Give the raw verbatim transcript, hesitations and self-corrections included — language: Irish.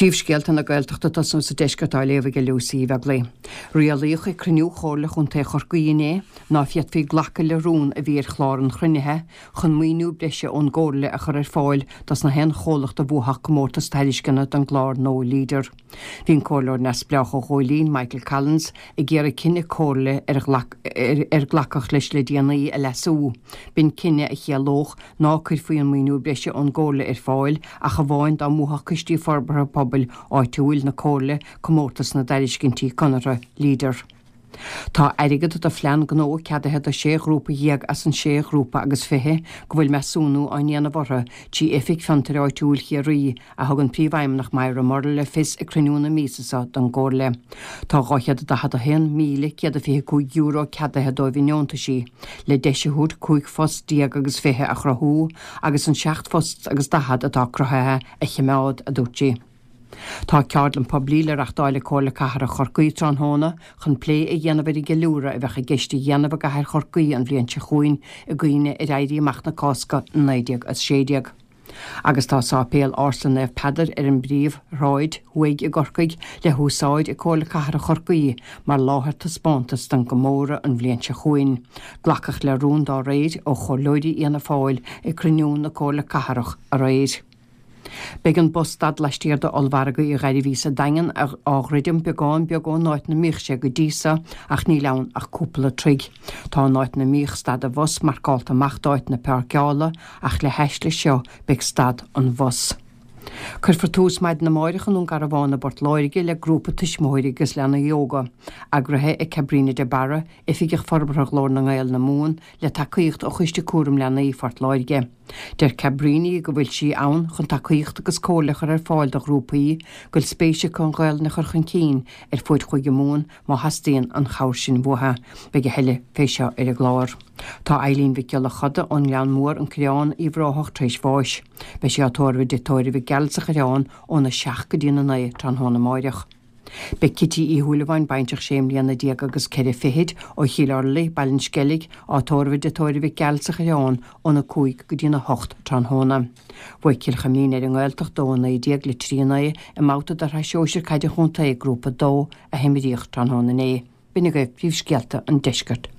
Príomhscéalta na Gaeltachta tosnú sa deisceart á léamh ag Lucy Uí Bheaglaoich. Rialaíodh ag cruinniú Chomhairle Chontae Chorcaí inné ná féadfaí glacadh le rún a bhí ar chlár an chruinnithe chun maoiniú breise ón gComhairle a chur ar fáil dos na haon chomhlacht a bhuafadh comórtas tairisceana don gclár nua Leader. Bhí an comhairleoir neamhspleách ó Ghóilín Michael Collins ag iarraidh cinneadh comhairle ar ar glacadh leis le déanaí a leasú. B'in cinneadh a chiallódh ná cuirfí an maoiniú breise ón gComhairle ar fáil ach amháin dá mbuafadh coistí forbartha pobail áitiúil na comhairle comórtas na dtairiscintí conartha Leader. Tá airgead do phlean gnó ceadaithe do sé ghrúpa dhéag as an sé ghrúpa agus fiche go bhfuil measúnú á ndéanamh orthu trí Oifig Fiontair Áitiúil Chiarraí a thug an príomhfheidhmeannach Myra Murrell le fios ag cruinniú na míosa seo don gComhairle. Tá dhá chéad daichead a haon míle céad a fiche cúig euro ceadaithe dóibh i ndeontaisí, le deis a thabhairt cúig phost déag agus fiche a chruthú agus an seacht phost agus daichead atá cruthaithe a choimeád, a dúirt sí. Tá ceardlann poiblí le reáchtáil ag Comhairle Cathrach Chorcaí tráthnóna chun plé a dhéanamh ar an gceiliúradh a bheadh i gceist a dhéanamh i gcathair Chorcaí an bhliain seo chugainn i gcuimhne ar Éirí Amach na Cásca naoi déag a sé déag. Agus tá sáipéal ársa Naomh Peadar ar an bpríomhshráid thuaidh i gCorcaigh le húsáid ag Comhairle Cathrach Chorcaí mar láthair taispeántas don gcomóradh an bhliain seo chugainn. Glacadh le rún dá réir ó chomhairleoirí Fhianna Fáil ag cruinniú na Comhairle Cathrach aréir. Beidh an bus stad laistiar d'ollmhargadh Uí Ghairbhí sa Daingean á dhruidim beagán beag ón áit ina mbíodh sé go dtí seo ach níl ann ach cúpla troigh. Tá an áit ina mbíodh stad an bhus marcálta amach d'áit na páirceála ach le haisle seo beidh stad an bhus. Cuirfear tús maidin amárach i nDún Garbhán i bPort Láirge le grúpa tuismitheoirí agus leanaí óga, eagraithe ag Cabrina de Barra, Oifigeach Forbartha Ghlór na nGael na Mumhan, le tacaíocht ó Choiste Cúram Leanaí Phort Láirge. Deir Cabrini go bhfuil sí ann chun tacaíocht agus comhairle a chur ar fáil do ghrúpaí go bhfuil spéis acu an Ghaelainn a chur chun cinn ar fuaid Chúige Mumhan má theastaíonn an chabhair sin uathu. Beidh a thuilleadh fé seo ar an gclár. Tá Eileen Mhic Giolla Choda ón nGleann Mór an Coireán Uíbh Ráthach tar éis bháis. Beidh sí á tórramh i dtigh tórraimh Mhic Gearailt sa Choireán óna seacht go dtí a naoi tráthnóna amárach. Beidh Cití Uí Shúilleabháin baintreach sé mbliana déag agus ceithre fichid ó Chill Orlaí, Baile an Sceilg, á tórramh i dtigh tórraimh Mhic Gearailt sa Choireán óna cúig go dtí na hocht tráthnóna. Bhuaigh Cill Choimín ar an nGaeltacht dó a naoi déag le trí naoi i mbabhta de shraith sóisir caide chontae grúpa dó a himríodh tráthnóna inné. B'in agaibh príomhscéalta an deiscirt.